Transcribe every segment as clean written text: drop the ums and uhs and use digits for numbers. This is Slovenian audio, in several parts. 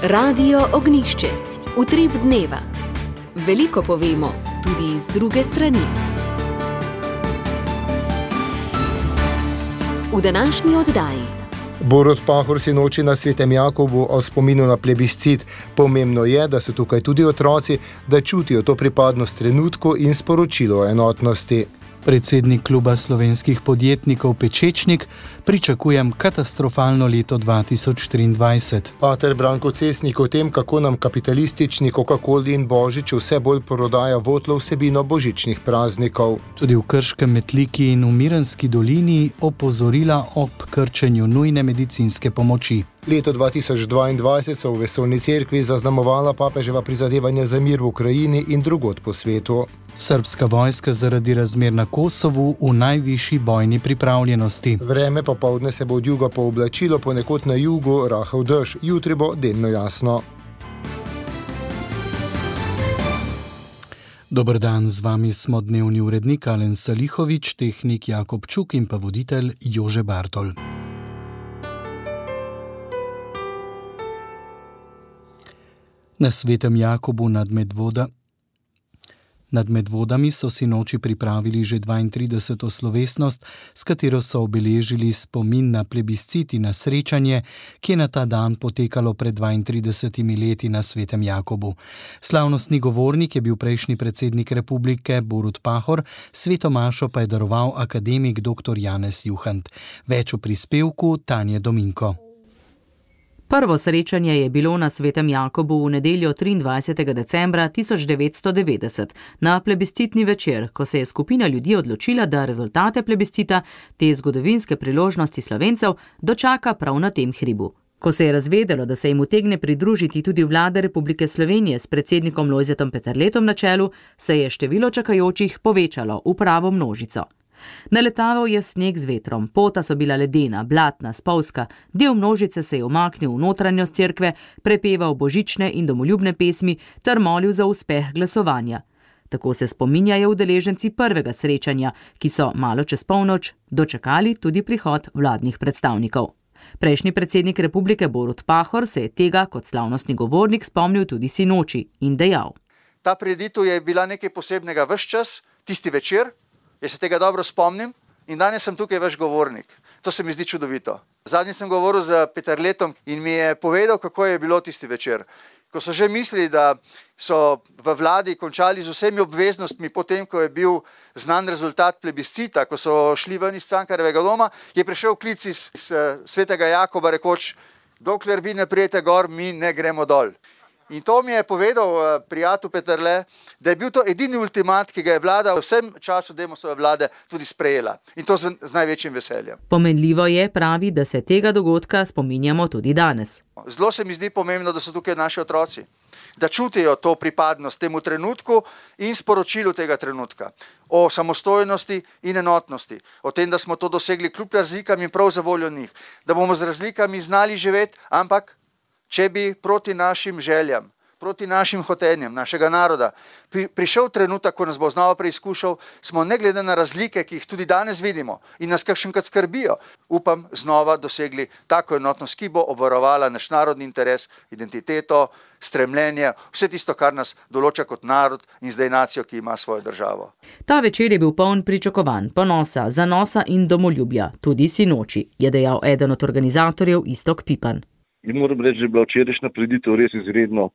Radio Ognišče, utrip dneva. Veliko povemo, tudi z druge strani. V današnji oddaji. Borut Pahor sinoči na Svetem Jakobu o spominu na plebiscit. Pomembno je, da so tukaj tudi otroci, da čutijo to pripadnost trenutku in sporočilo o enotnosti. Predsednik kluba slovenskih podjetnikov Pečečnik: pričakujem katastrofalno leto 2023. Pater Branko Cesnik o tem, kako nam kapitalistični Coca-Coli in Božič vse bolj prodaja votlo vsebino božičnih praznikov. Tudi v Krškem, Metliki in v Mirenski dolini opozorila ob krčenju nujne medicinske pomoči. Leto 2022 so v Vesoljni cerkvi zaznamovala papeževa prizadevanja za mir v Ukrajini in drugod po svetu. Srbska vojska zaradi razmer na Kosovu v najvišji bojni pripravljenosti. Vreme popoldne se bo od juga pooblačilo, ponekod na jugu rahel dež, jutri bo delno jasno. Dober dan, z vami smo dnevni urednik Alen Salihovič, tehnik Jakob Čuk in pa voditelj Jože Bartol. Na Svetem Jakobu nad Medvodami so sinoči pripravili že 32. slovesnost, s katero so obeležili spomin na plebiscit in na srečanje, ki je na ta dan potekalo pred 32 leti na Svetem Jakobu. Slavnostni govornik je bil prejšnji predsednik republike Borut Pahor, sveto mašo pa je daroval akademik dr. Janez Juhant. Več v prispevku Tanje Dominko. Prvo srečanje je bilo na Svetem Jakobu v nedeljo 23. decembra 1990, na plebiscitni večer, ko se je skupina ljudi odločila, da rezultate plebiscita, te zgodovinske priložnosti Slovencev, dočaka prav na tem hribu. Ko se je razvedelo, da se jim utegne pridružiti tudi vlada Republike Slovenije s predsednikom Lojzetom Peterletom na čelu, se je število čakajočih povečalo v pravo množico. Naletaval je sneg z vetrom, pota so bila ledena, blatna, spolzka, del množice se je umaknil v notranjost cerkve, prepeval božične in domoljubne pesmi ter molil za uspeh glasovanja. Tako se spominjajo udeleženci prvega srečanja, ki so malo čez polnoč dočakali tudi prihod vladnih predstavnikov. Prejšnji predsednik republike Borut Pahor se je tega kot slavnostni govornik spomnil tudi sinoči in dejal: Ta prireditev je bila nekaj posebnega ves čas, tisti večer. Jaz se tega dobro spomnim in danes sem tukaj vaš govornik. To se mi zdi čudovito. Zadnjič sem govoril z Peterletom in mi je povedal, kako je bilo tisti večer. Ko so že mislili, da so v vladi končali z vsemi obveznostmi, potem, ko je bil znan rezultat plebiscita, ko so šli ven iz Cankarjevega doma, je prišel klic iz Svetega Jakoba, rekoč: dokler vi ne prijete gor, mi ne gremo dol. In to mi je povedal prijatelj Peterle, da je bil to edini ultimat, ki ga je vlada v vsem času Demosove vlade tudi sprejela. In to z največjim veseljem. Pomenljivo je, pravi, da se tega dogodka spominjamo tudi danes. Zelo se mi zdi pomembno, da so tukaj naši otroci, da čutijo to pripadnost temu trenutku in sporočilu tega trenutka. O samostojnosti in enotnosti, o tem, da smo to dosegli kljub razlikam in prav za voljo njih, da bomo z razlikami znali živeti, ampak če bi proti našim željam, proti našim hotenjem, našega naroda, prišel trenutek, ko nas bo znova preizkušal, smo ne glede na razlike, ki jih tudi danes vidimo in nas kakšenkrat skrbijo, upam, znova dosegli tako enotnost, ki bo obvarovala naš narodni interes, identiteto, stremljenje, vse tisto, kar nas določa kot narod in zdaj nacijo, ki ima svojo državo. Ta večer je bil poln pričakovanj, ponosa, zanosa in domoljubja, tudi sinoči, je dejal eden od organizatorjev Iztok Pipan. In moram reči, da je bila včerajšnja prireditev res izredno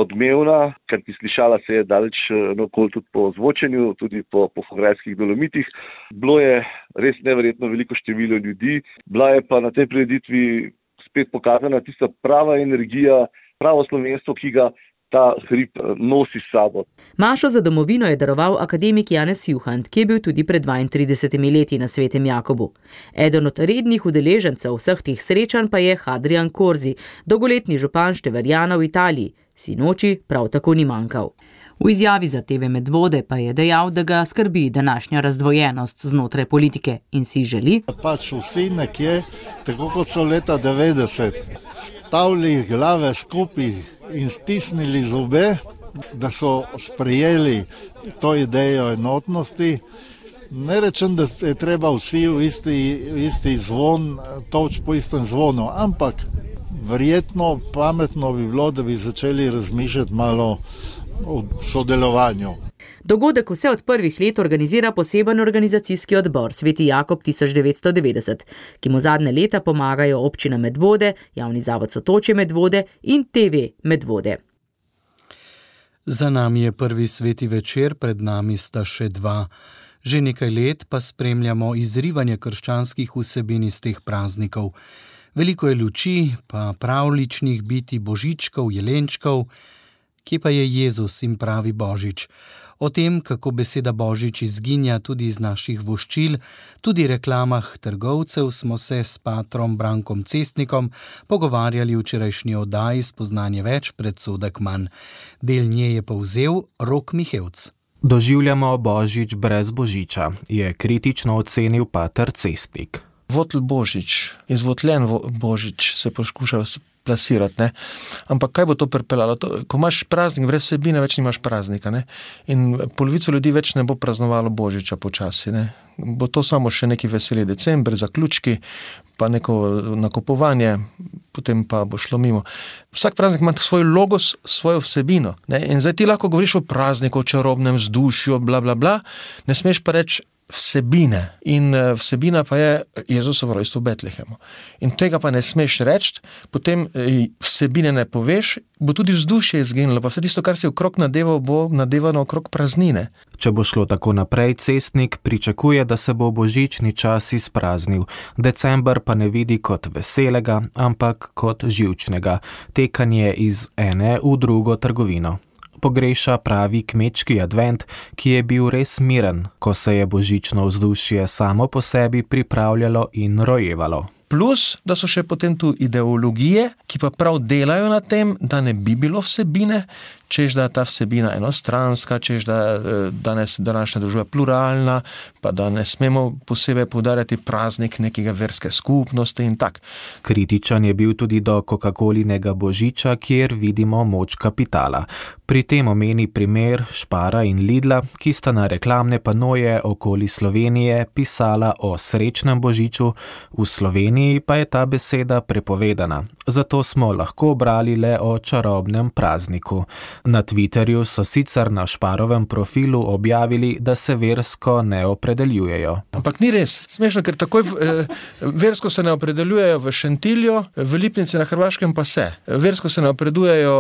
odmevna, ker slišala se je daleč naokoli tudi po zvočenju, tudi po Fograjskih Dolomitih. Bilo je res neverjetno veliko število ljudi, bila je pa na tej prireditvi spet pokazana tista prava energija, pravo slovenstvo, ki ga ta hrib nosi s sabo. Mašo za domovino je daroval akademik Janez Juhant, ki je bil tudi pred 32 leti na Svetem Jakobu. Eden od rednih udeležencev vseh teh srečanj pa je Hadrian Corsi, dolgoletni župan Števerjana v Italiji. Sinoči prav tako ni manjkal. V izjavi za TV Medvode pa je dejal, da ga skrbi današnja razdvojenost znotraj politike in si želi, pač vsi nekje, tako kot so leta 90, stavili glave skupaj in stisnili zobe, da so sprejeli to idejo enotnosti. Ne rečem, da je treba vsi v isti zvon toč po istem zvonu, ampak Verjetno pametno bi bilo, da bi začeli razmišljati malo o sodelovanju. Dogodek vse od prvih let organizira poseben organizacijski odbor Sveti Jakob 1990, ki mu zadnje leta pomagajo občina Medvode, javni zavod Sotočje Medvode in TV Medvode. Za nami je prvi sveti večer, pred nami sta še dva. Že nekaj let pa spremljamo izrivanje krščanskih vsebin iz teh praznikov. Veliko je luči, pa pravličnih biti, božičkov, jelenčkov. Kje pa je Jezus in pravi Božič? O tem, kako beseda Božič izginja tudi iz naših voščil, tudi reklamah trgovcev, smo se s patrom Brankom Cestnikom pogovarjali v včerajšnji oddaji Spoznanje več, predsodek manj. Del nje je povzel Rok Mihevc. Doživljamo Božič brez Božiča, je kritično ocenil pater Cestnik. Votl Božič, izvotljen Božič se poskuša plasirati, ne? Ampak kaj bo to pripeljalo? Ko imaš praznik brez vsebine, več nimaš praznika, ne? In polovico ljudi več ne bo praznovalo Božiča počasi, ne? Bo to samo še neki veseli december, zaključki, pa neko nakupovanje, potem pa bo šlo mimo. Vsak praznik ima svoj logos, svojo vsebino, ne? In zdaj ti lahko govoriš o prazniku, o čarobnem vzdušju, bla, bla, bla, ne smeš pa reči vsebine. In vsebina pa je Jezusovo rojstvo v Betlehemu. In tega pa ne smeš reči, potem vsebine ne poveš, bo tudi vzdušje izginilo, pa vse tisto, kar si okrog nadeval, bo nadevano okrog praznine. Če bo šlo tako naprej, Cestnik pričakuje, da se bo božični čas izpraznil. December pa ne vidi kot veselega, ampak kot živčnega. Tekanje iz ene v drugo trgovino. Pogreša pravi kmečki advent, ki je bil res miren, ko se je božično vzdušje samo po sebi pripravljalo in rojevalo. Plus, da so še potem tu ideologije, ki pa prav delajo na tem, da ne bi bilo vsebine, čež da je ta vsebina enostranska, čež da danes današnja družba pluralna, pa da ne smemo posebej poudarjati praznik nekega verske skupnosti in tak. Kritičan je bil tudi do Coca-Colinega božiča, kjer vidimo moč kapitala. Pri tem omeni primer Spara in Lidla, ki sta na reklamne panoje okoli Slovenije pisala o srečnem božiču, v Sloveniji pa je ta beseda prepovedana. Zato smo lahko brali le o čarobnem prazniku. Na Twitterju so sicer na Sparovem profilu objavili, da se versko ne opredeljujejo. Ampak ni res. Smešno, ker takoj versko se ne opredeljujejo v Šentilju, v Lipnici na Hrvaškem pa se. Versko se ne opredeljujejo,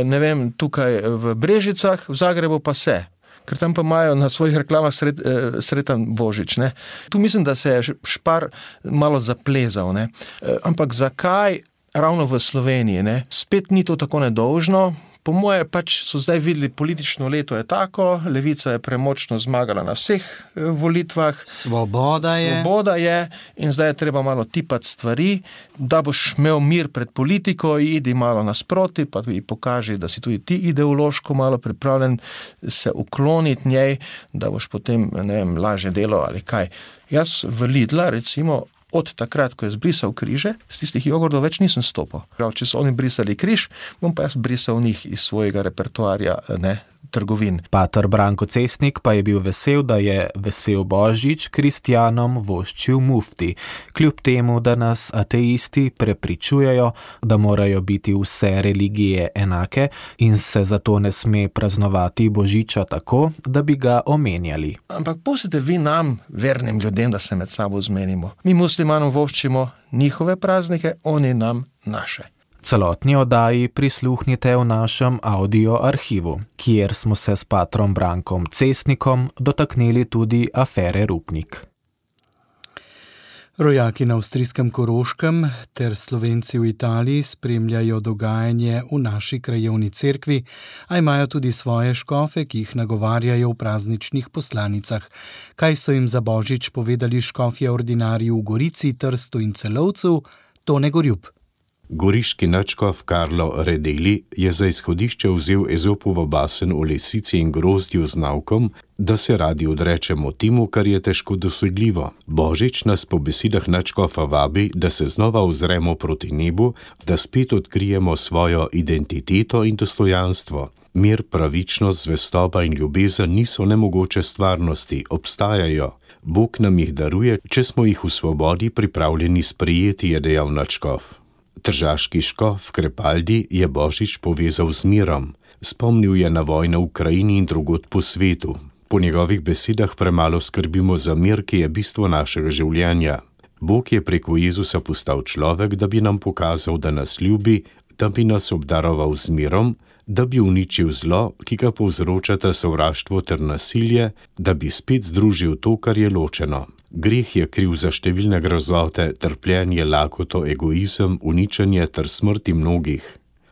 ne vem, tukaj v Brežicah, v Zagrebu pa se. Ker tam pa imajo na svojih reklamah sretan Božič, ne. Tu mislim, da se je Spar malo zaplezal, ne. Ampak zakaj ravno v Sloveniji, ne? Spet ni to tako nedolžno. Po moje pač so zdaj videli, politično leto je tako, levica je premočno zmagala na vseh volitvah. Svoboda je in zdaj je treba malo tipati stvari, da boš imel mir pred politiko, idi malo nasproti, pa ji pokaži, da si tudi ti ideološko malo pripravljen se ukloniti njej, da boš potem, ne vem, lažje delo ali kaj. Jaz v Lidla, recimo, od takrat, ko je zbrisal križe, z tistih jogurtov več nisem stopil. Če so oni brisali križ, bom pa jaz brisal njih iz svojega repertoarja, ne, trgovin. Pater Branko Cestnik pa je bil vesel, da je vesel Božič kristjanom voščil mufti, kljub temu, da nas ateisti prepričujejo, da morajo biti vse religije enake in se zato ne sme praznovati Božiča tako, da bi ga omenjali. Ampak pustite vi nam, vernim ljudem, da se med sabo zmenimo. Mi muslimanom voščimo njihove praznike, oni nam naše. Celotni oddaji prisluhnite v našem audio arhivu, kjer smo se s patrom Brankom Cestnikom dotaknili tudi afere Rupnik. Rojaki na avstrijskem Koroškem ter Slovenci v Italiji spremljajo dogajanje v naši krajevni cerkvi, a imajo tudi svoje škofe, ki jih nagovarjajo v prazničnih poslanicah. Kaj so jim za Božič povedali škofje ordinarji v Gorici, Trstu in Celovcu, Tone Gorjup. Goriški nadškof Karlo Redeli je za izhodišče vzel Ezopovo basen o lisici in grozdju z naukom, da se radi odrečemo temu, kar je težko dosledljivo. Božič nas po besedah nadškofa vabi, da se znova ozremo proti nebu, da spet odkrijemo svojo identiteto in dostojanstvo. Mir, pravičnost, zvestoba in ljubezen niso nemogoče stvarnosti, obstajajo. Bog nam jih daruje, če smo jih v svobodi pripravljeni sprejeti, je dejal nadškof. Tržaški škof Krepaldi je Božič povezal z mirom. Spomnil je na vojno v Ukrajini in drugod po svetu. Po njegovih besedah premalo skrbimo za mir, ki je bistvo našega življenja. Bog je preko Jezusa postal človek, da bi nam pokazal, da nas ljubi, da bi nas obdaroval z mirom, da bi uničil zlo, ki ga povzročata sovraštvo ter nasilje, da bi spet združil to, kar je ločeno. Greh je kriv za številne grozote, trpljenje, lakoto, egoizem, uničenje ter smrti mnogih.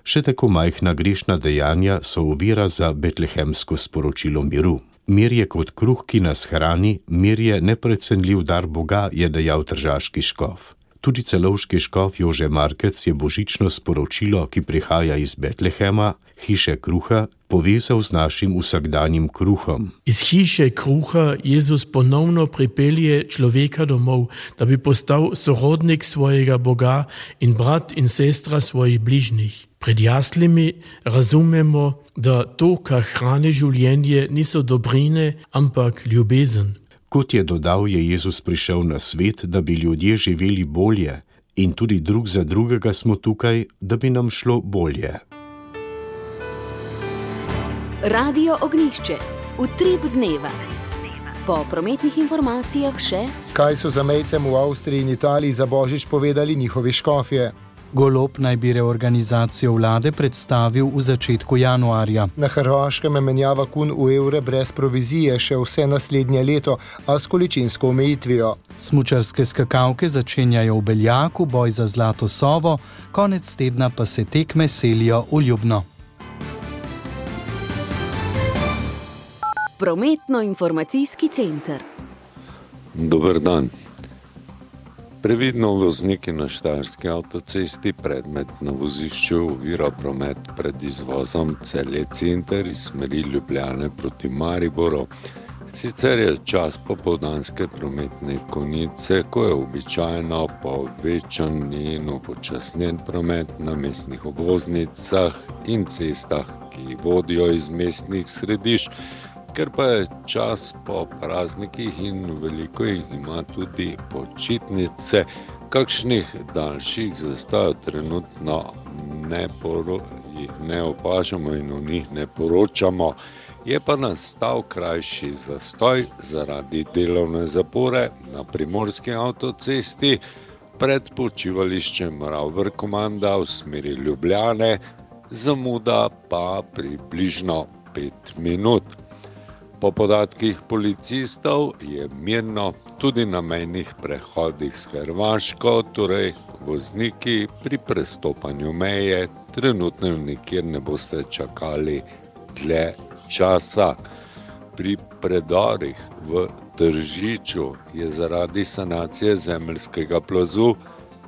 Še tako majhna grešna dejanja so ovira za betlehemsko sporočilo miru. Mir je kot kruh, ki nas hrani, mir je neprecenljiv dar Boga, je dejal tržaški škof. Tudi celovški škof Jože Markec je božično sporočilo, ki prihaja iz Betlehema, hiše kruha, povezal z našim vsakdanjim kruhom. Iz hiše kruha Jezus ponovno pripelje človeka domov, da bi postal sorodnik svojega Boga in brat in sestra svojih bližnjih. Pred jaslimi razumemo, da to, kar hrani življenje, niso dobrine, ampak ljubezen. Kot je dodal, je Jezus prišel na svet, da bi ljudje živeli bolje, in tudi drug za drugega smo tukaj, da bi nam šlo bolje. Radio Ognjišče, utrip dneva. Po prometnih informacijah še, kaj so zamejcem v Avstriji in Italiji za Božič povedali njihovi škofje. Golob naj bi reorganizacijo vlade predstavil v začetku januarja. Na Hrvaškem je menjava kun v evre brez provizije še vse naslednje leto, a s količinsko omejitvijo. Smučarske skakalke začenjajo v Beljaku, boj za zlato sovo, konec tedna pa se tekme selijo v Ljubno. Prometno-informacijski center. Dober dan. Previdno vozniki na Štajerski avtocesti, predmet na vozišču ovira promet pred izvozom Celje Center iz smeri Ljubljane proti Mariboru. Sicer je čas popoldanske prometne konice, ko je običajno povečan in upočasnjen promet na mestnih obvoznicah in cestah, ki vodijo iz mestnih središč. Ker pa je čas po praznikih in veliko jih ima tudi počitnice, kakšnih daljših zastojev trenutno jih ne opažamo in o njih ne poročamo. Je pa nastal krajši zastoj zaradi delovne zapore na Primorski avtocesti pred počivališčem Ravver-Komanda v smeri Ljubljane, zamuda pa približno 5 minut. Po podatkih policistov je mirno tudi na mejnih prehodih s Hrvaško, torej vozniki pri prestopanju meje trenutno nikjer ne boste čakali dlje časa. Pri predorih v Tržiču je zaradi sanacije zemeljskega plazu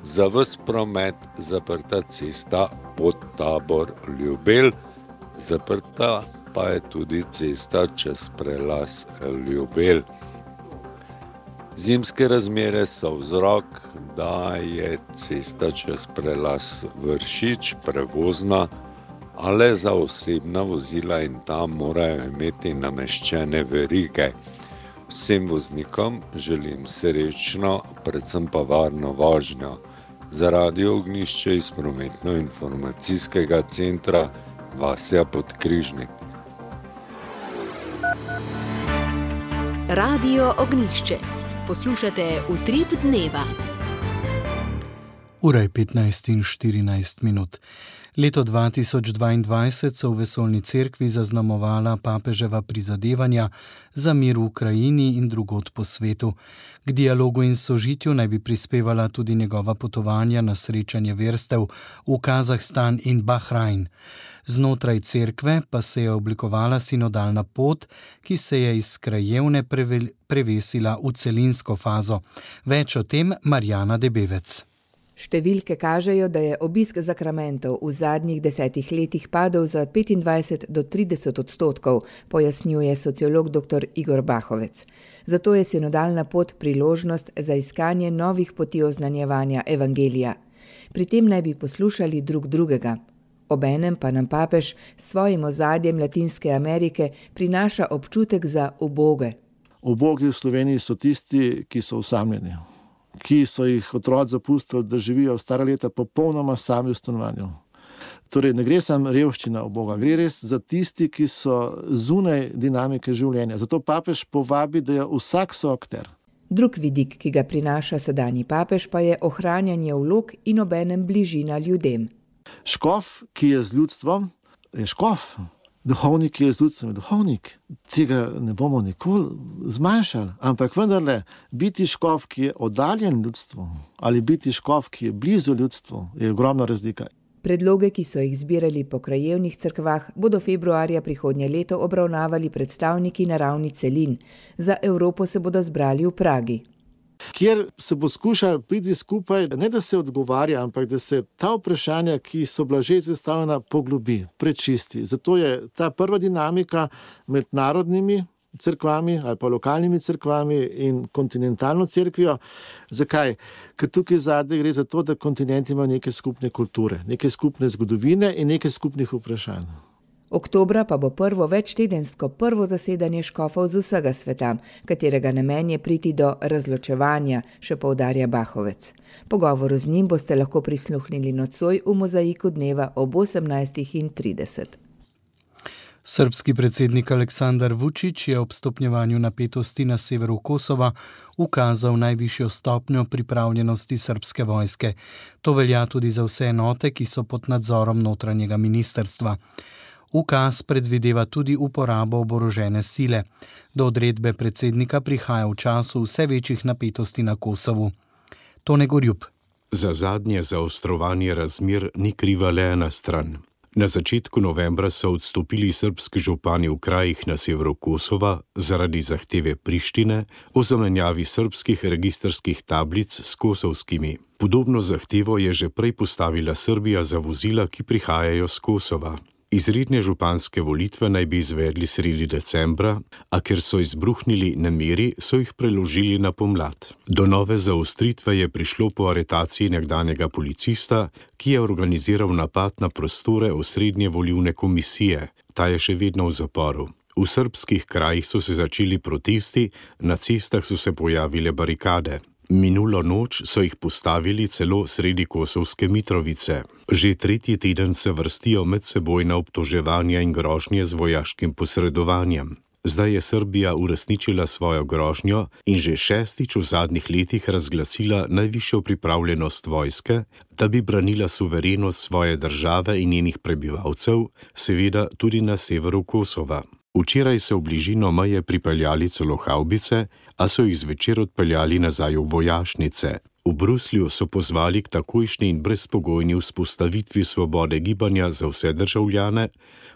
za ves promet zaprta cesta Podtabor-Ljubelj, zaprta pa je tudi cesta čez prelaz Ljubelj. Zimske razmere so vzrok, da je cesta čez prelaz Vršič prevozna, a le za osebna vozila in tam morajo imeti nameščene verige. Vsem voznikom želim srečno, predvsem pa varno vožnjo. Za Radio Ognjišče iz prometno-informacijskega centra Vasja Podkrižnik. Radio Ognjišče. Poslušate utrip dneva. Ura je 15:14. Leto 2022 so v Vesoljni cerkvi zaznamovala papeževa prizadevanja za mir v Ukrajini in drugod po svetu. K dialogu in sožitju naj bi prispevala tudi njegova potovanja na srečanje verstev v Kazahstan in Bahrajn. Znotraj cerkve pa se je oblikovala sinodalna pot, ki se je iz krajevne prevesila v celinsko fazo. Več o tem Marjana Debevec. Številke kažejo, da je obisk zakramentov v zadnjih 10 letih padel za 25 do 30%, pojasnjuje sociolog dr. Igor Bahovec. Zato je sinodalna pot priložnost za iskanje novih poti oznanjevanja evangelija. Pri tem naj bi poslušali drug drugega. Obenem pa nam papež s svojim ozadjem Latinske Amerike prinaša občutek za uboge. Ubogi v Sloveniji so tisti, ki so osamljeni. ki so jih otroci zapustili, da živijo v stara leta popolnoma sami v stanovanju. Torej, ne gre samo revščina uboga, gre res za tisti, ki so zunaj dinamike življenja. Zato papež povabi, da je vsak soakter. Drug vidik, ki ga prinaša sedanji papež, pa je ohranjanje vlog in obenem bližina ljudem. Škof, ki je z ljudstvom, je škof. Duhovnik, ki je z ljudstvom, je duhovnik. Tega ne bomo nikoli zmanjšali. Ampak vendarle, biti škof, ki je oddaljen ljudstvu, ali biti škof, ki je blizu ljudstvu, je ogromna razlika. Predloge, ki so jih zbirali po krajevnih cerkvah, bodo februarja prihodnje leto obravnavali predstavniki na ravni celin. Za Evropo se bodo zbrali v Pragi. Kjer se bo skušal priti skupaj, ne da se odgovarja, ampak da se ta vprašanja, ki so bila že zastavljena, poglobi, prečisti. Zato je ta prva dinamika med narodnimi cerkvami ali pa lokalnimi cerkvami in kontinentalno cerkvijo. Zakaj? Ker tukaj zadnje gre za to, da kontinent ima neke skupne kulture, neke skupne zgodovine in neke skupnih vprašanj. Oktobra pa bo prvo večtedensko prvo zasedanje škofov z vsega sveta, katerega namen je priti do razločevanja, še poudarja Bahovec. Pogovoru z njim boste lahko prisluhnili nocoj v mozaiku dneva ob 18:30. Srbski predsednik Aleksandar Vučić je ob stopnjevanju napetosti na severu Kosova ukazal najvišjo stopnjo pripravljenosti srbske vojske. To velja tudi za vse enote, ki so pod nadzorom notranjega ministrstva. Ukaz predvideva tudi uporabo oborožene sile. Do odredbe predsednika prihaja v času vse večjih napetosti na Kosovu. Tone Gorjup. Za zadnje zaostrovanje razmer ni kriva le ena stran. Na začetku novembra so odstopili srbski župani v krajih na severu Kosova zaradi zahteve Prištine o zamenjavi srbskih registrskih tablic s kosovskimi. Podobno zahtevo je že prej postavila Srbija za vozila, ki prihajajo z Kosova. Izredne županske volitve naj bi izvedli sredi decembra, a ker so izbruhnili nemiri, so jih preložili na pomlad. Do nove zaostritve je prišlo po aretaciji nekdanjega policista, ki je organiziral napad na prostore osrednje volilne komisije. Ta je še vedno v zaporu. V srbskih krajih so se začeli protesti, na cestah so se pojavile barikade. Minulo noč so jih postavili celo sredi kosovske Mitrovice. Že tretji teden se vrstijo medsebojna obtoževanja in grožnje z vojaškim posredovanjem. Zdaj je Srbija uresničila svojo grožnjo in že šestič v zadnjih letih razglasila najvišjo pripravljenost vojske, da bi branila suverenost svoje države in njenih prebivalcev, seveda tudi na severu Kosova. Včeraj so v bližino meje pripeljali celo havbice, a so jih zvečer odpeljali nazaj v vojašnice. V Bruslju so pozvali k takojšnji in brezpogojni vzpostavitvi svobode gibanja za vse državljane,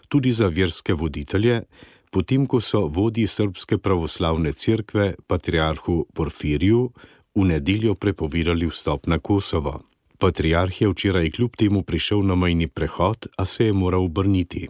tudi za verske voditelje, potem ko so vodji Srbske pravoslavne cerkve, patriarhu Porfiriju, v nedeljo prepovedali vstop na Kosovo. Patriarh je včeraj kljub temu prišel na mejni prehod, a se je moral obrniti.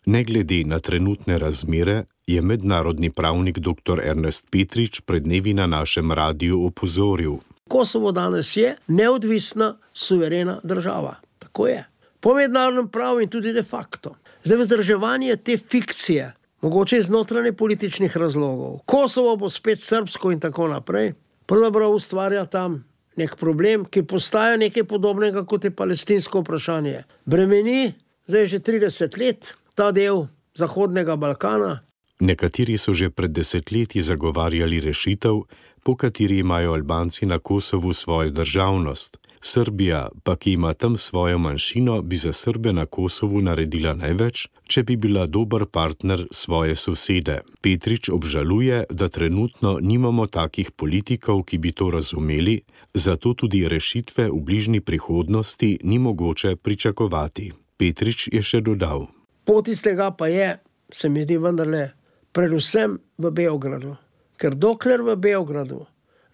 Ne glede na trenutne razmere, je mednarodni pravnik dr. Ernest Petrič pred dnevi na našem radiju opozoril. Kosovo danes je neodvisna, suverena država. Tako je. Po mednarodnem pravu in tudi de facto. Zdaj vzdrževanje te fikcije, mogoče iz notranje političnih razlogov, Kosovo bo spet srbsko in tako naprej, pravzaprav ustvarja tam nek problem, ki postaja nekaj podobnega kot je palestinsko vprašanje. Bremeni zdaj že 30 let ta del Zahodnega Balkana. Nekateri so že pred desetletji zagovarjali rešitev, po kateri imajo Albanci na Kosovu svojo državnost. Srbija, pa ki ima tam svojo manjšino, bi za Srbe na Kosovu naredila največ, če bi bila dober partner svoje sosede. Petrič obžaluje, da trenutno nimamo takih politikov, ki bi to razumeli, zato tudi rešitve v bližnji prihodnosti ni mogoče pričakovati. Petrič je še dodal. Pot iz tega pa je, se mi zdi vendarle, predvsem v Beogradu. Ker dokler v Beogradu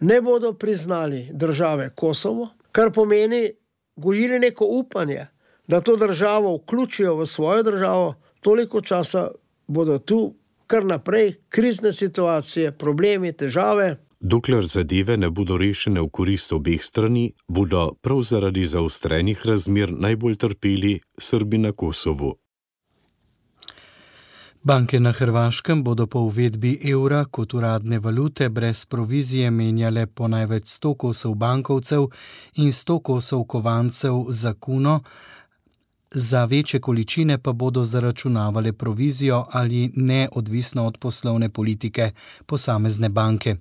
ne bodo priznali države Kosovo, kar pomeni gojili neko upanje, da to državo vključijo v svojo državo, toliko časa bodo tu kar naprej krizne situacije, problemi, težave. Dokler zadeve ne bodo rešene v korist obeh strani, bodo prav zaradi zaostrenih razmer najbolj trpeli Srbi na Kosovu. Banke na Hrvaškem bodo po uvedbi evra kot uradne valute brez provizije menjale po največ 100 kosov bankovcev in 100 kosov kovancev za kuno, za večje količine pa bodo zaračunavale provizijo ali ne, odvisno od poslovne politike posamezne banke.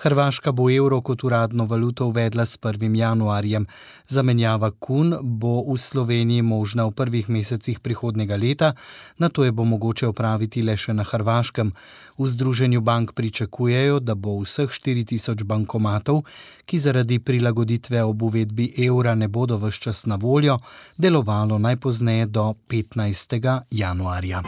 Hrvaška bo evro kot uradno valuto uvedla s 1. januarjem. Zamenjava kun bo v Sloveniji možna v prvih mesecih prihodnjega leta, nato je bo mogoče opraviti le še na Hrvaškem. V Združenju bank pričakujejo, da bo vseh 4000 bankomatov, ki zaradi prilagoditve ob uvedbi evra ne bodo ves čas na voljo, delovalo najpozneje do 15. januarja.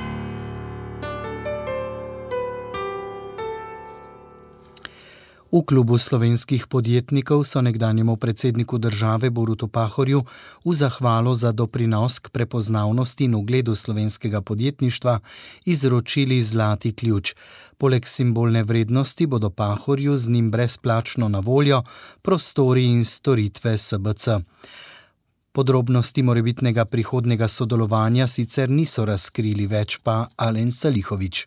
V klubu slovenskih podjetnikov so nekdanjemu predsedniku države Borutu Pahorju v zahvalo za doprinos k prepoznavnosti in ugledu slovenskega podjetništva izročili zlati ključ. Poleg simbolne vrednosti bodo Pahorju z njim brezplačno na voljo prostori in storitve SBC. Podrobnosti morebitnega prihodnjega sodelovanja sicer niso razkrili, več pa Alen Salihović.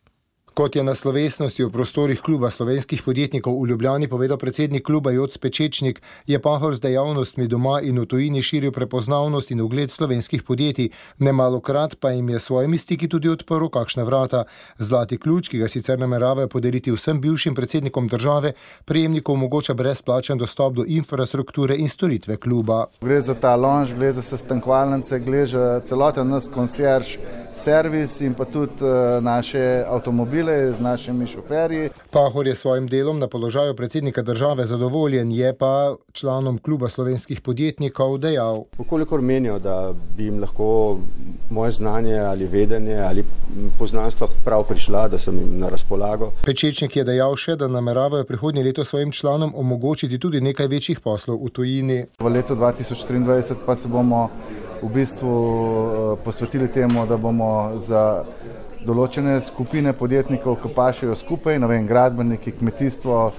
Kot je na slovesnosti v prostorih kluba slovenskih podjetnikov v Ljubljani povedal predsednik kluba Joc Pečečnik, je Pahor z dejavnostmi doma in v tujini širil prepoznavnost in ugled slovenskih podjetij. Nemalokrat pa jim je svojimi stiki tudi odprl kakšna vrata. Zlati ključ, ki ga sicer nameravajo podeliti vsem bivšim predsednikom države, prejemniku omogoča brezplačen dostop do infrastrukture in storitve kluba. Gre za ta lounge, gre za sestankovalnice, gre za celoten nas concierge servis in pa tudi naše avtomobile z našimi šoferji. Pahor je svojim delom na položaju predsednika države zadovoljen, je pa članom kluba slovenskih podjetnikov dejal: Vkolikor menijo, da bi jim lahko moje znanje ali vedenje ali poznanstva prav prišla, da sem jim na razpolago. Pečečnik je dejal še, da nameravajo prihodnje leto svojim članom omogočiti tudi nekaj večjih poslov v tujini. V letu 2023 pa se bomo v bistvu posvetili temu, da bomo za določene skupine podjetnikov, ki pašejo skupaj, gradbeniki, kmetijstvo,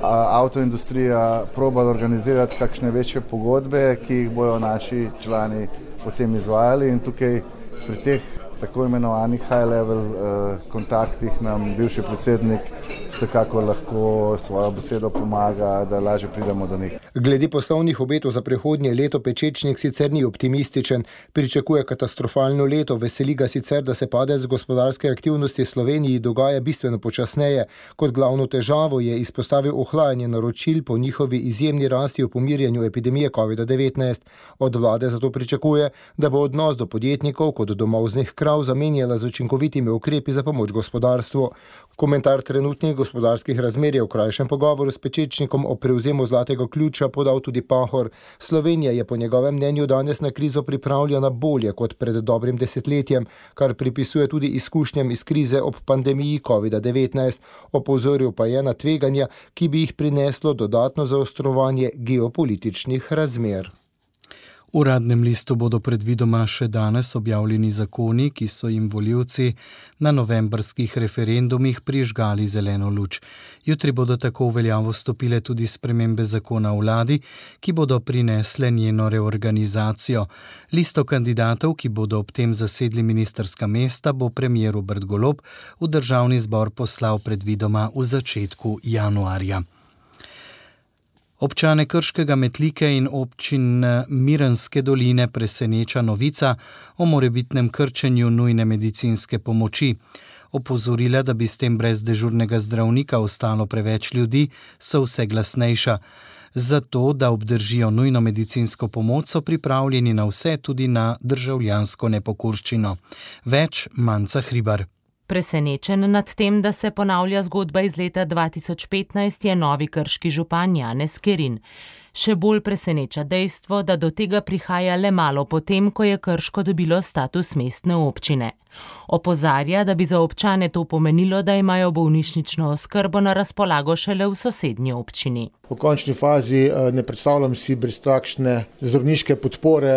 avtoindustrija, probali organizirati kakšne večje pogodbe, ki jih bojo naši člani potem izvajali, in tukaj pri teh tako imenovanih high-level kontaktih nam bivši predsednik vsekako lahko svojo besedo pomaga, da lažje pridemo do njih. Glede poslovnih obetov za prihodnje leto Pečečnik sicer ni optimističen, pričakuje katastrofalno leto, veseli ga sicer, da se padec gospodarske aktivnosti Sloveniji dogaja bistveno počasneje. Kot glavno težavo je izpostavil ohlajanje naročil po njihovi izjemni rasti v pomirjanju epidemije COVID-19. Od vlade zato pričakuje, da bo odnos do podjetnikov kot domovznih krav zamenjala z učinkovitimi ukrepi za pomoč gospodarstvu. Komentar trenutnih gospodarskih razmer je v krajšem pogovoru s Pečečnikom o prevzemu zlatega ključa podal tudi Pahor. Slovenija je po njegovem mnenju danes na krizo pripravljena bolje kot pred dobrim desetletjem, kar pripisuje tudi izkušnjam iz krize ob pandemiji COVID-19. Opozoril pa je na tveganja, ki bi jih prineslo dodatno zaostrovanje geopolitičnih razmer. V uradnem listu bodo predvidoma še danes objavljeni zakoni, ki so jim volivci na novembrskih referendumih prižgali zeleno luč. Jutri bodo tako v veljavo stopile tudi spremembe zakona o vladi, ki bodo prinesle njeno reorganizacijo. Listo kandidatov, ki bodo ob tem zasedli ministrska mesta, bo premier Robert Golob v državni zbor poslal predvidoma v začetku januarja. Občane Krškega, Metlike in občin Mirenske doline preseneča novica o morebitnem krčenju nujne medicinske pomoči. Opozorila, da bi s tem brez dežurnega zdravnika ostalo preveč ljudi, so vse glasnejša. Zato, da obdržijo nujno medicinsko pomoč, so pripravljeni na vse, tudi na državljansko nepokorščino. Več Manca Hribar. Presenečen nad tem, da se ponavlja zgodba iz leta 2015, je novi krški župan Janez Kerin. Še bolj preseneča dejstvo, da do tega prihaja le malo potem, ko je Krško dobilo status mestne občine. Opozarja, da bi za občane to pomenilo, da imajo bolnišnično oskrbo na razpolago šele v sosednji občini. V končni fazi ne predstavljam si brez takšne zdravniške podpore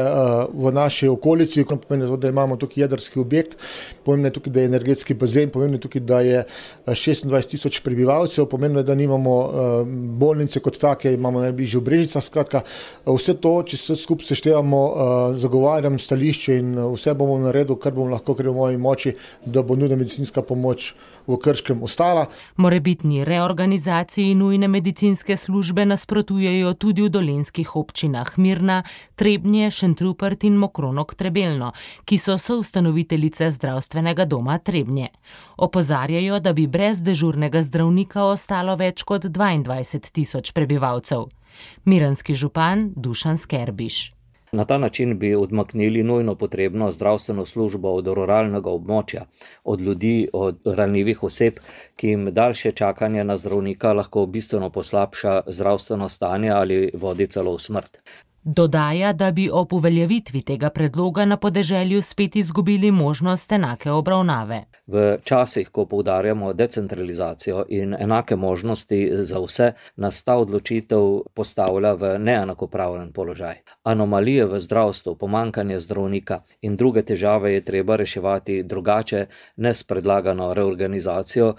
v naši okolici, pomeni, da imamo tukaj jedrski objekt, pomeni tukaj, da je energetski bazen, pomeni tukaj, da je 26 000 prebivalcev, pomeni, da nimamo bolnice kot take, imamo najbližje v Brežicah. Skratka, vse to, če se skupaj seštevamo, zagovarjam stališče in vse bomo naredili, kar bomo lahko, ker bomo moji moči, da bo nujna medicinska pomoč v Krškem ostala. Morebitni reorganizaciji nujne medicinske službe nasprotujejo tudi v dolenjskih občinah Mirna, Trebnje, Šentrupert in Mokronog-Trebelno, ki so soustanoviteljice zdravstvenega doma Trebnje. Opozarjajo, da bi brez dežurnega zdravnika ostalo več kot 22.000 prebivalcev. Miranski župan Dušan Skerbiš. Na ta način bi odmaknili nujno potrebno zdravstveno službo od ruralnega območja, od ljudi, od ranljivih oseb, ki jim daljše čakanje na zdravnika lahko bistveno poslabša zdravstveno stanje ali vodi celo v smrt. Dodaja, da bi ob uveljavitvi tega predloga na podeželju spet izgubili možnost enake obravnave. V časih, ko poudarjamo decentralizacijo in enake možnosti za vse, nas ta odločitev postavlja v neenakopraven položaj. Anomalije v zdravstvu, pomanjkanje zdravnika in druge težave je treba reševati drugače, ne s predlagano reorganizacijo.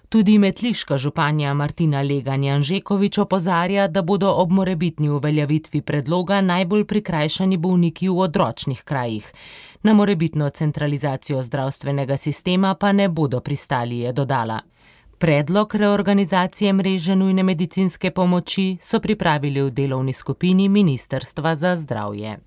Tudi metliška županja Martina Legan-Janžekovič opozarja, da bodo ob morebitni uveljavitvi predloga najbolj prikrajšani bolniki v odročnih krajih. Na morebitno centralizacijo zdravstvenega sistema pa ne bodo pristali, je dodala. Predlog reorganizacije mreže nujne medicinske pomoči so pripravili v delovni skupini Ministrstva za zdravje.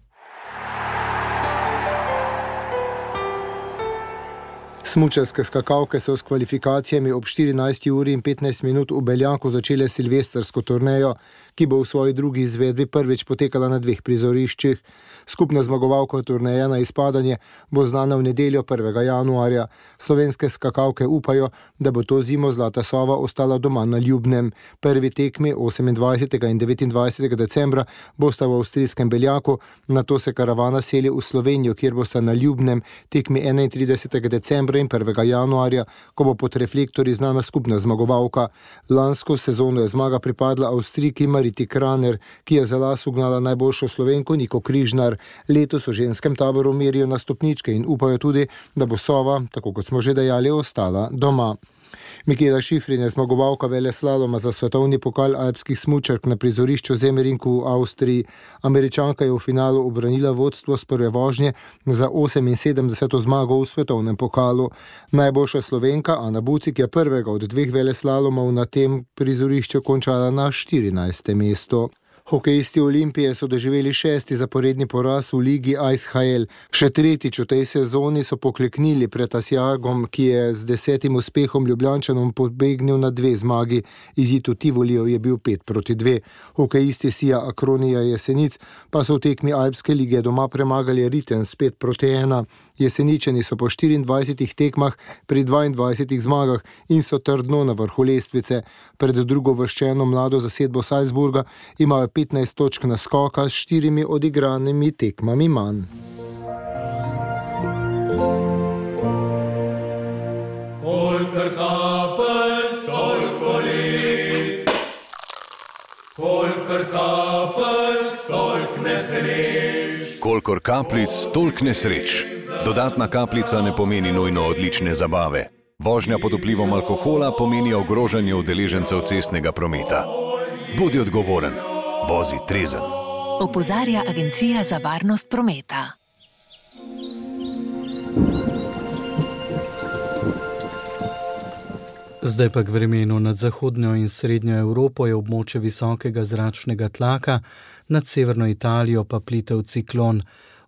Smučarske skakalke so s kvalifikacijami ob 14:15 v Beljaku začele silvestrsko turnejo, ki bo v svoji drugi izvedbi prvič potekala na 2 prizoriščih. Skupna zmagovalka turneje na izpadanje bo znana v nedeljo 1. januarja. Slovenske skakalke upajo, da bo to zimo Zlata sova ostala doma na Ljubnem. Prvi tekmi 28. in 29. decembra bosta v avstrijskem Beljaku, nato se karavana seli v Slovenijo, kjer bosta na Ljubnem tekmi 31. decembra in 1. januarja, ko bo pod reflektorji znana skupna zmagovalka. Lansko sezono je zmaga pripadla Avstrijki Mariti Kraner, ki je za las ugnala najboljšo Slovenko Niko Križnar. Letos v ženskem taboru merijo na stopničke in upajo tudi, da bo sova, tako kot smo že dejali, ostala doma. Michaela Schifrin je zmagovalka veleslaloma za svetovni pokal alpskih smučark na prizorišču Zemmerinku v Avstriji. Američanka je v finalu ubranila vodstvo s prve vožnje za 78. zmago v svetovnem pokalu. Najboljša Slovenka Ana Bucik je prvega od 2 veleslalomov na tem prizorišču končala na 14. mestu. Hokejisti Olimpije so doživeli 6. zaporedni poraz v ligi ISHL. Še 3. v tej sezoni so pokleknili pred Asjagom, ki je z 10. uspehom Ljubljančanom pobegnil na 2 zmagi. Izid v Tivoliju je bil 5-2. Hokejisti Sija Akronija Jesenic pa so v tekmi Alpske lige doma premagali Riten s 5-1. Jeseničani so po 24 tekmah pri 22 zmagah in so trdno na vrhu lestvice. Pred drugovrščeno mlado zasedbo Salzburga imajo 15 točk naskoka s 4 odigranimi tekmami manj. Kolikor kapljic, toliko let. Kolikor kapljic, toliko nesreč. Kolikor kapljic, toliko nesreč. Dodatna kapljica ne pomeni nujno odlične zabave. Vožnja pod vplivom alkohola pomeni ogrožanje udeležencev cestnega prometa. Bodi odgovoren, vozi trezen. Opozarja Agencija za varnost prometa. Zdaj pa k vremenu. Nad zahodnjo in srednjo Evropo je območje visokega zračnega tlaka, nad severno Italijo pa plitev ciklon.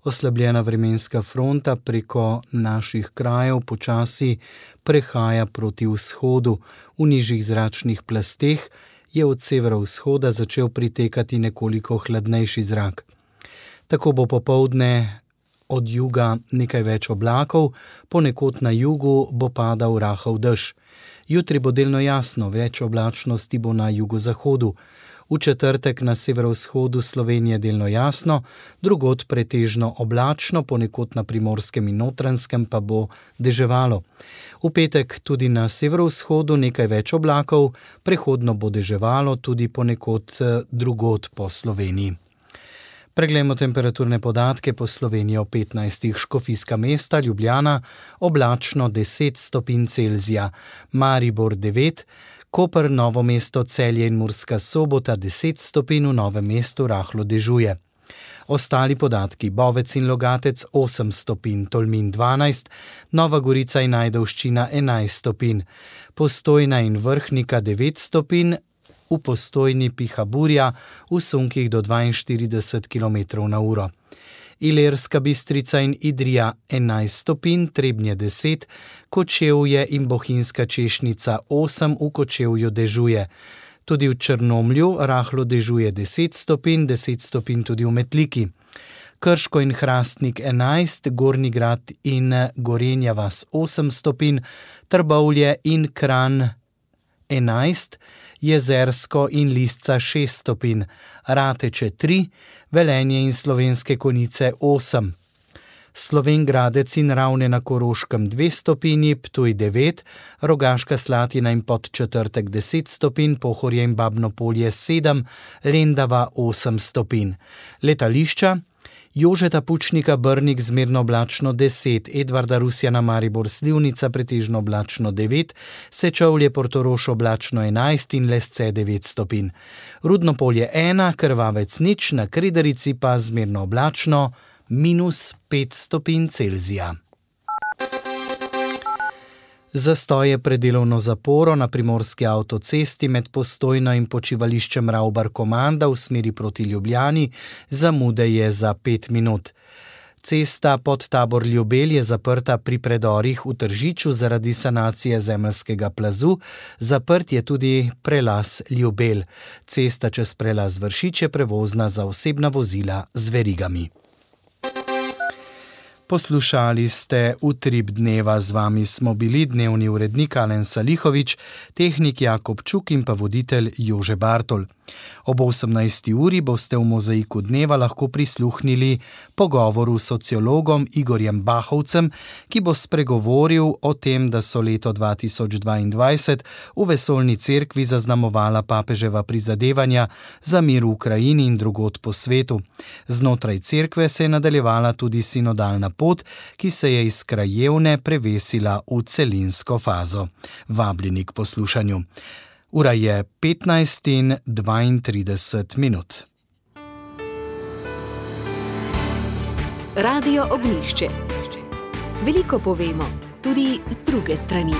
Oslabljena vremenska fronta preko naših krajev počasi prehaja proti vzhodu. V nižjih zračnih plasteh je od severovzhoda začel pritekati nekoliko hladnejši zrak. Tako bo popoldne od juga nekaj več oblakov, ponekod na jugu bo padal rahel dež. Jutri bo delno jasno, več oblačnosti bo na jugozahodu. V četrtek na severovzhodu Slovenije delno jasno, drugod pretežno oblačno, ponekod na Primorskem in Notranjskem pa bo deževalo. V petek tudi na severovzhodu nekaj več oblakov, prehodno bo deževalo tudi ponekod drugod po Sloveniji. Preglejmo temperaturne podatke po Sloveniji o 15. Škofijska Mesta, Ljubljana, oblačno 10 stopinj Celzija, Maribor 9, Koper, Novo mesto, Celje in Murska Sobota 10 stopinj, v Novem mestu rahlo dežuje. Ostali podatki: Bovec in Logatec 8 stopinj, Tolmin 12, Nova Gorica in Ajdovščina 11 stopinj, Postojna in Vrhnika 9 stopinj, v Postojni piha burja, v sunkih do 42 km/h. Ilirska Bistrica in Idrija 11 stopinj, Trebnje 10, Kočevje in Bohinjska Češnica 8, v Kočevju dežuje. Tudi v Črnomlju rahlo dežuje 10 stopinj, 10 stopinj tudi v Metliki. Krško in Hrastnik 11, Gornji Grad in Gorenja vas 8 stopinj, Trbovlje in Kranj 11, Jezersko in Lisca 6 stopinj, Rateče 3, Velenje in Slovenske Konjice 8. Slovenj Gradec in Ravne na Koroškem 2 stopinji, Ptuj 9, Rogaška Slatina in Podčetrtek 10 stopinj, Pohorje in Babno Polje 7, Lendava 8 stopinj. Letališča: Jožeta Pučnika Brnik zmerno oblačno 10, Edvarda Rusjana Maribor Slivnica pretežno oblačno 9, Sečovlje Portorož oblačno 11 in Lesce 9 stopinj. Rudno Polje 1, Krvavec 0, na Kredarici pa zmerno oblačno -5 stopinj Celzija. Zastoje pred delovno zaporo na primorski avtocesti med Postojno in počivališčem Ravbar-Komanda v smeri proti Ljubljani, zamude je za 5 minut. Cesta Podtabor-Ljubelj je zaprta pri predorih v Tržiču zaradi sanacije zemeljskega plazu, zaprt je tudi prelaz Ljubelj. Cesta čez prelaz Vršič je prevozna za osebna vozila z verigami. Poslušali ste Utrip dneva, z vami smo bili dnevni urednik Alen Salihovič, tehnik Jakob Čuk in pa voditelj Jože Bartol. Ob 18. uri boste v Mozaiku dneva lahko prisluhnili pogovoru s sociologom Igorjem Bahovcem, ki bo spregovoril o tem, da so leto 2022 v Vesoljni cerkvi zaznamovala papeževa prizadevanja za mir v Ukrajini in drugod po svetu. Znotraj cerkve se je nadaljevala tudi sinodalna pot, ki se je iz krajevne prevesila v celinsko fazo. Vabljeni k poslušanju. Ura je 15:32. Radio Ognjišče. Veliko povemo, tudi z druge strani.